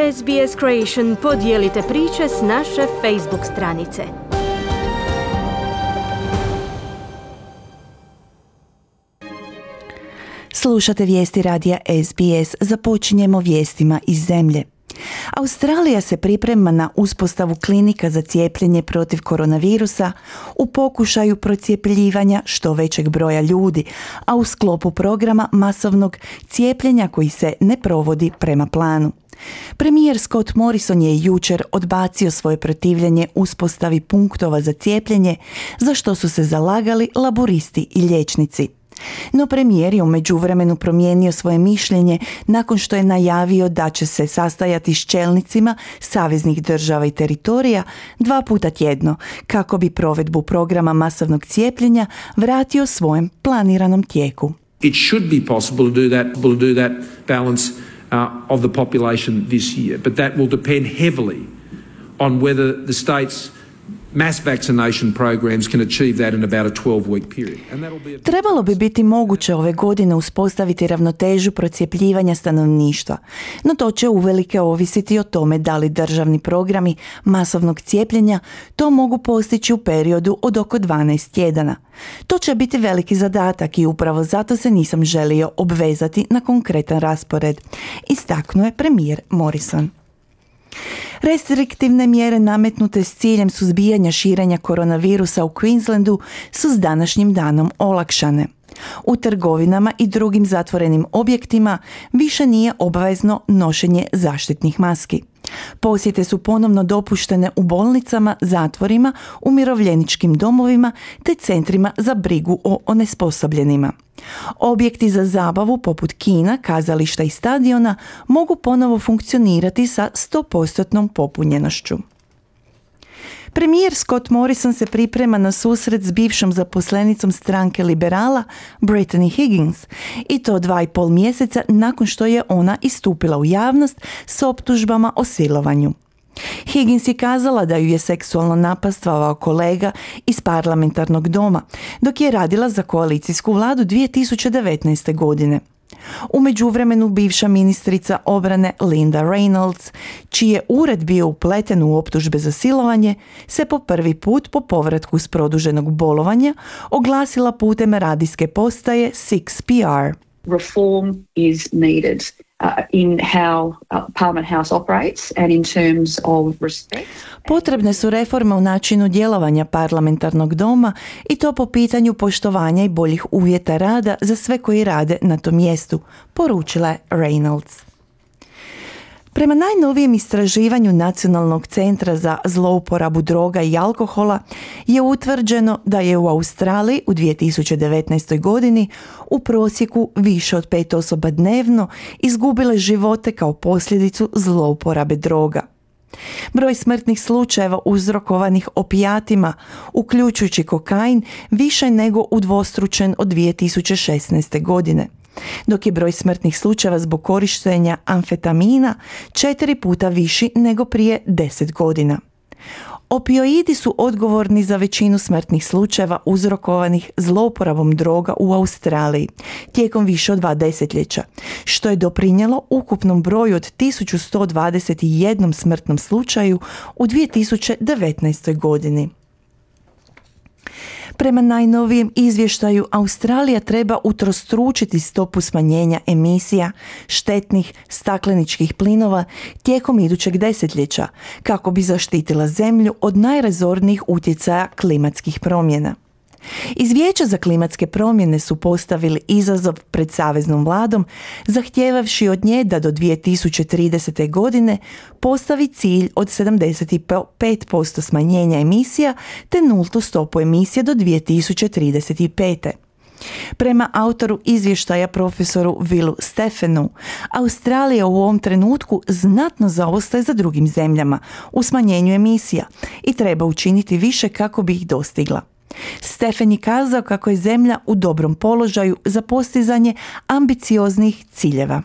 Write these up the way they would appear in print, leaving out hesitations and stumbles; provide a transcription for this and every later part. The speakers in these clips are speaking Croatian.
SBS Creation podijelite priče s naše Facebook stranice. Slušate vijesti radija SBS. Započinjemo vijestima iz zemlje. Australija se priprema na uspostavu klinika za cijepljenje protiv koronavirusa u pokušaju procjepljivanja što većeg broja ljudi, a u sklopu programa masovnog cijepljenja koji se ne provodi prema planu. Premijer Scott Morrison je jučer odbacio svoje protivljenje uspostavi punktova za cijepljenje, za što su se zalagali laburisti i liječnici. No premijer je u međuvremenu promijenio svoje mišljenje nakon što je najavio da će se sastajati s čelnicima saveznih država i teritorija 2 puta tjedno kako bi provedbu programa masovnog cijepljenja vratio svojem planiranom tijeku. It should be possible to do that balance of the population this year, but that will depend heavily on whether the states mass vaccination programs can achieve that in about a 12-week period. Trebalo bi biti moguće ove godine uspostaviti ravnotežu procjepljivanja stanovništva, no to će uvelike ovisiti o tome da li državni programi masovnog cijepljenja to mogu postići u periodu od oko 12 tjedana. To će biti veliki zadatak i upravo zato se nisam želio obvezati na konkretan raspored, istaknuo je premijer Morrison. Restriktivne mjere nametnute s ciljem suzbijanja širenja koronavirusa u Queenslandu su s današnjim danom olakšane. U trgovinama i drugim zatvorenim objektima više nije obavezno nošenje zaštitnih maski. Posjete su ponovno dopuštene u bolnicama, zatvorima, umirovljeničkim domovima te centrima za brigu o onesposobljenima. Objekti za zabavu poput kina, kazališta i stadiona mogu ponovo funkcionirati sa 100% popunjenošću. Premijer Scott Morrison se priprema na susret s bivšom zaposlenicom stranke liberala Brittany Higgins i to 2,5 mjeseca nakon što je ona istupila u javnost s optužbama o silovanju. Higgins je kazala da ju je seksualno napastvovao kolega iz parlamentarnog doma dok je radila za koalicijsku vladu 2019. godine. U međuvremenu bivša ministrica obrane Linda Reynolds, čiji je ured bio upleten u optužbe za silovanje, se po prvi put po povratku s produženog bolovanja oglasila putem radijske postaje 6PR. Reform is needed in how Parliament House operates and in terms of respect. Potrebne su reforme u načinu djelovanja parlamentarnog doma i to po pitanju poštovanja i boljih uvjeta rada za sve koji rade na tom mjestu, poručila je Reynolds. Prema najnovijem istraživanju Nacionalnog centra za zlouporabu droga i alkohola je utvrđeno da je u Australiji u 2019. godini u prosjeku više od 5 osoba dnevno izgubile živote kao posljedicu zlouporabe droga. Broj smrtnih slučajeva uzrokovanih opijatima, uključujući kokain, više je nego udvostručen od 2016. godine, dok je broj smrtnih slučajeva zbog korištenja amfetamina 4 puta viši nego prije 10 godina. Opioidi su odgovorni za većinu smrtnih slučajeva uzrokovanih zlouporabom droga u Australiji tijekom više od 2 desetljeća, što je doprinijelo ukupnom broju od 1121 smrtnom slučaju u 2019. godini. Prema najnovijem izvještaju, Australija treba utrostručiti stopu smanjenja emisija štetnih stakleničkih plinova tijekom idućeg desetljeća kako bi zaštitila zemlju od najrazornijih utjecaja klimatskih promjena. Iz Vijeća za klimatske promjene su postavili izazov pred saveznom vladom, zahtijevavši od nje da do 2030. godine postavi cilj od 75% smanjenja emisija te nultu stopu emisija do 2035. Prema autoru izvještaja profesoru Willu Stephenu, Australija u ovom trenutku znatno zaostaje za drugim zemljama u smanjenju emisija i treba učiniti više kako bi ih dostigla. Stephen je kazao kako je zemlja u dobrom položaju za postizanje ambicioznih ciljeva.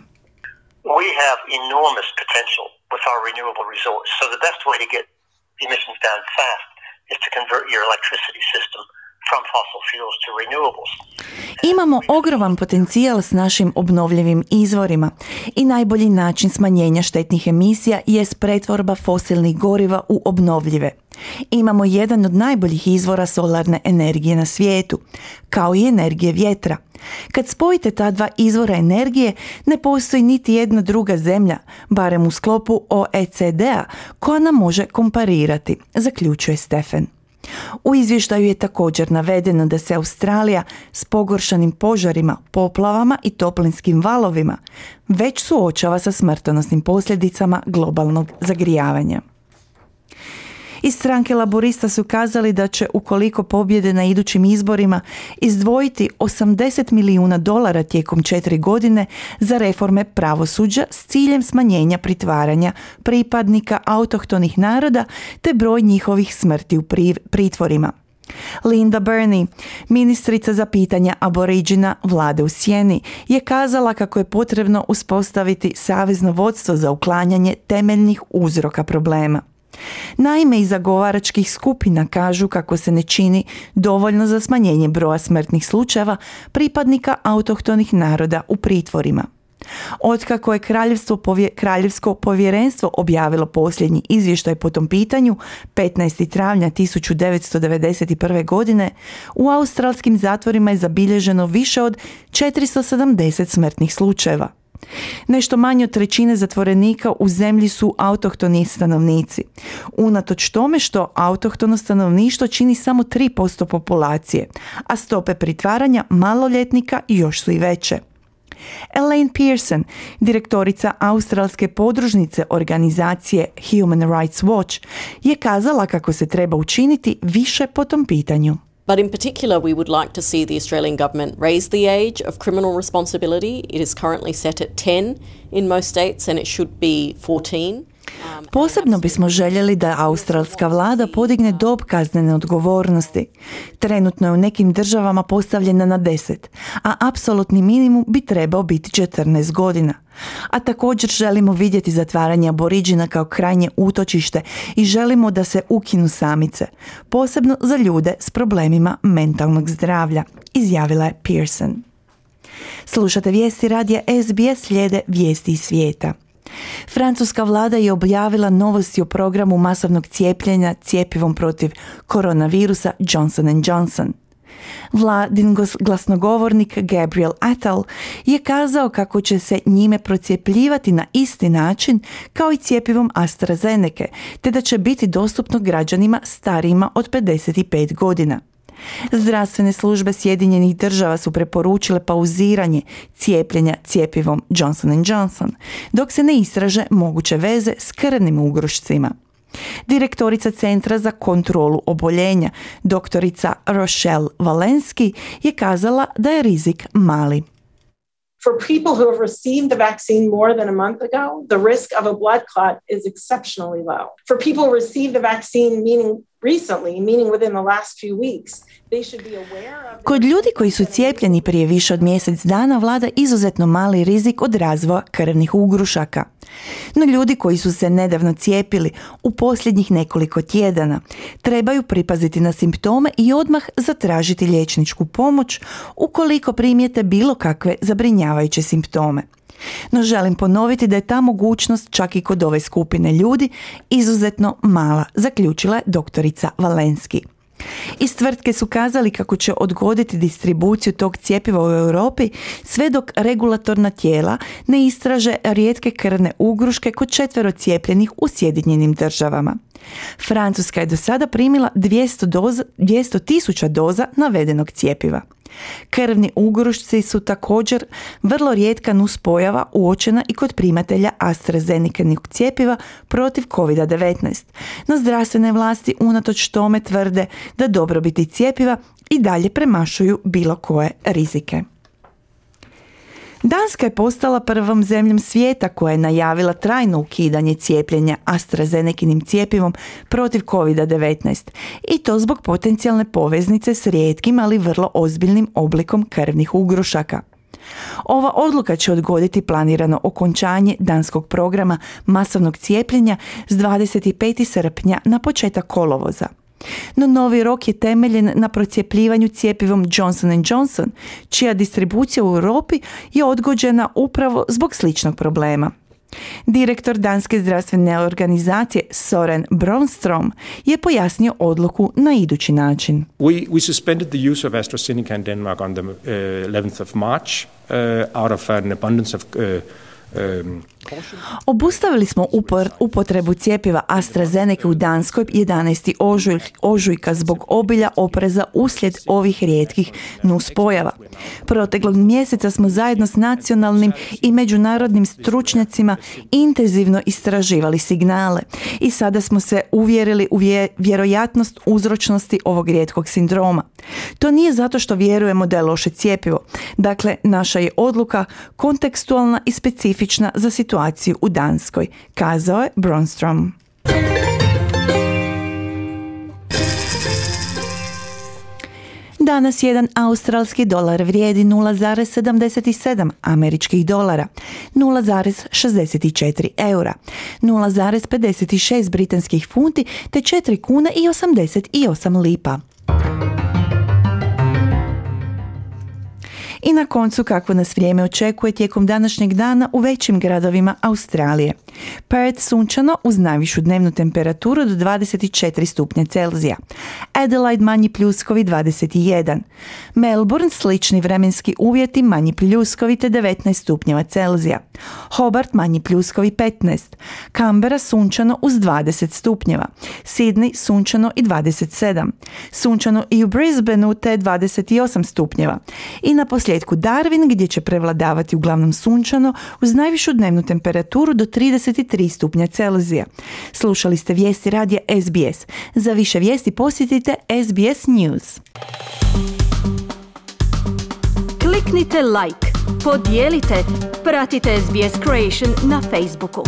We have enormous potential with our renewable resource. So the best way to get emissions down fast is to convert your electricity system from fossil fuels to renewables. Imamo ogroman potencijal s našim obnovljivim izvorima i najbolji način smanjenja štetnih emisija jest pretvorba fosilnih goriva u obnovljive. Imamo jedan od najboljih izvora solarne energije na svijetu, kao i energije vjetra. Kad spojite ta dva izvora energije, ne postoji niti jedna druga zemlja, barem u sklopu OECD-a, koja nam može komparirati, zaključuje Stephen. U izvještaju je također navedeno da se Australija s pogoršanim požarima, poplavama i toplinskim valovima već suočava sa smrtonosnim posljedicama globalnog zagrijavanja. Iz stranke Laborista su kazali da će, ukoliko pobjede na idućim izborima, izdvojiti $80 milijuna tijekom 4 godine za reforme pravosuđa s ciljem smanjenja pritvaranja pripadnika autohtonih naroda te broj njihovih smrti u pritvorima. Linda Burney, ministrica za pitanja aboriđina vlade u Sjeni, je kazala kako je potrebno uspostaviti savezno vodstvo za uklanjanje temeljnih uzroka problema. Naime, iz zagovaračkih skupina kažu kako se ne čini dovoljno za smanjenje broja smrtnih slučajeva pripadnika autohtonih naroda u pritvorima. Otkako je Kraljevsko povjerenstvo objavilo posljednji izvještaj po tom pitanju 15. travnja 1991. godine, u australskim zatvorima je zabilježeno više od 470 smrtnih slučajeva. Nešto manje od trećine zatvorenika u zemlji su autohtoni stanovnici, unatoč tome što autohtono stanovništvo čini samo 3% populacije, a stope pritvaranja maloljetnika još su i veće. Elaine Pearson, direktorica australske podružnice organizacije Human Rights Watch, je kazala kako se treba učiniti više po tom pitanju. But in particular, we would like to see the Australian government raise the age of criminal responsibility. It is currently set at 10 in most states and it should be 14. Posebno bismo željeli da australska vlada podigne dob kaznene odgovornosti. Trenutno je u nekim državama postavljena na 10, a apsolutni minimum bi trebao biti 14 godina. A također želimo vidjeti zatvaranje aboriđina kao krajnje utočište i želimo da se ukinu samice, posebno za ljude s problemima mentalnog zdravlja, izjavila je Pearson. Slušate vijesti radija SBS, slijede vijesti iz svijeta. Francuska vlada je objavila novosti o programu masovnog cijepljenja cjepivom protiv koronavirusa Johnson & Johnson. Vladin glasnogovornik Gabriel Attal je kazao kako će se njime procjepljivati na isti način kao i cjepivom AstraZeneca, te da će biti dostupno građanima starijima od 55 godina. Zdravstvene službe Sjedinjenih Država su preporučile pauziranje cijepljenja cjepivom Johnson & Johnson, dok se ne istraže moguće veze s krvnim ugrušcima. Direktorica Centra za kontrolu oboljenja, doktorica Rochelle Walensky, je kazala da je rizik mali. For people who have received the vaccine more than a month ago, the risk of a blood clot is exceptionally low. For people who received the vaccine meaning within the last few weeks, they should be aware of... Kod ljudi koji su cijepljeni prije više od mjesec dana vlada izuzetno mali rizik od razvoja krvnih ugrušaka. No ljudi koji su se nedavno cijepili u posljednjih nekoliko tjedana trebaju pripaziti na simptome i odmah zatražiti liječničku pomoć ukoliko primijete bilo kakve zabrinjavajuće simptome. No želim ponoviti da je ta mogućnost čak i kod ove skupine ljudi izuzetno mala, zaključila je doktorica Walensky. Iz tvrtke su kazali kako će odgoditi distribuciju tog cjepiva u Europi sve dok regulatorna tijela ne istraže rijetke krvne ugruške kod 4 cijepljenih u Sjedinjenim Državama. Francuska je do sada primila 200.000 doza navedenog cjepiva. Krvni ugrušci su također vrlo rijetka nuspojava uočena i kod primatelja AstraZeneca-nog cjepiva protiv COVID-19, no zdravstvene vlasti unatoč tome tvrde da dobrobiti cjepiva i dalje premašuju bilo koje rizike. Danska je postala prvom zemljom svijeta koja je najavila trajno ukidanje cijepljenja AstraZeneca-nim cjepivom protiv COVID-19 i to zbog potencijalne poveznice s rijetkim, ali vrlo ozbiljnim oblikom krvnih ugrušaka. Ova odluka će odgoditi planirano okončanje danskog programa masovnog cijepljenja s 25. srpnja na početak kolovoza. No novi rok je temeljen na procjepljivanju cjepivom Johnson & Johnson, čija distribucija u Europi je odgođena upravo zbog sličnog problema. Direktor danske zdravstvene organizacije Søren Brøndstrøm je pojasnio odluku na idući način. We suspended the use of AstraZeneca in Denmark on the 11th of March out of an abundance of Obustavili smo upotrebu cjepiva AstraZeneca u Danskoj 11. ožujka zbog obilja opreza uslijed ovih rijetkih nuspojava. Proteklog mjeseca smo zajedno s nacionalnim i međunarodnim stručnjacima intenzivno istraživali signale i sada smo se uvjerili u vjerojatnost uzročnosti ovog rijetkog sindroma. To nije zato što vjerujemo da je loše cjepivo. Dakle, naša je odluka kontekstualna i specifična za situaciju u Danskoj, kazao je Brøndstrøm. Danas jedan australski dolar vrijedi 0,77 američkih dolara, 0,64 eura, 0,56 britanskih funti te 4 kune i 88 lipa. I na koncu kako nas vrijeme očekuje tijekom današnjeg dana u većim gradovima Australije. Perth sunčano uz najvišu dnevnu temperaturu do 24 stupnja Celzija. Adelaide manji pljuskovi 21. Melbourne slični vremenski uvjeti manji pljuskovi te 19 stupnjeva Celzija. Hobart manji pljuskovi 15. Canberra sunčano uz 20 stupnjeva. Sydney sunčano i 27. Sunčano i u Brisbaneu te 28 stupnjeva. I na posljedku Darwin gdje će prevladavati uglavnom sunčano uz najvišu dnevnu temperaturu do 33 stupnja Celzija. Slušali ste vijesti radija SBS. Za više vijesti posjetite SBS News. Kliknite like, podijelite, pratite SBS Creation na Facebooku.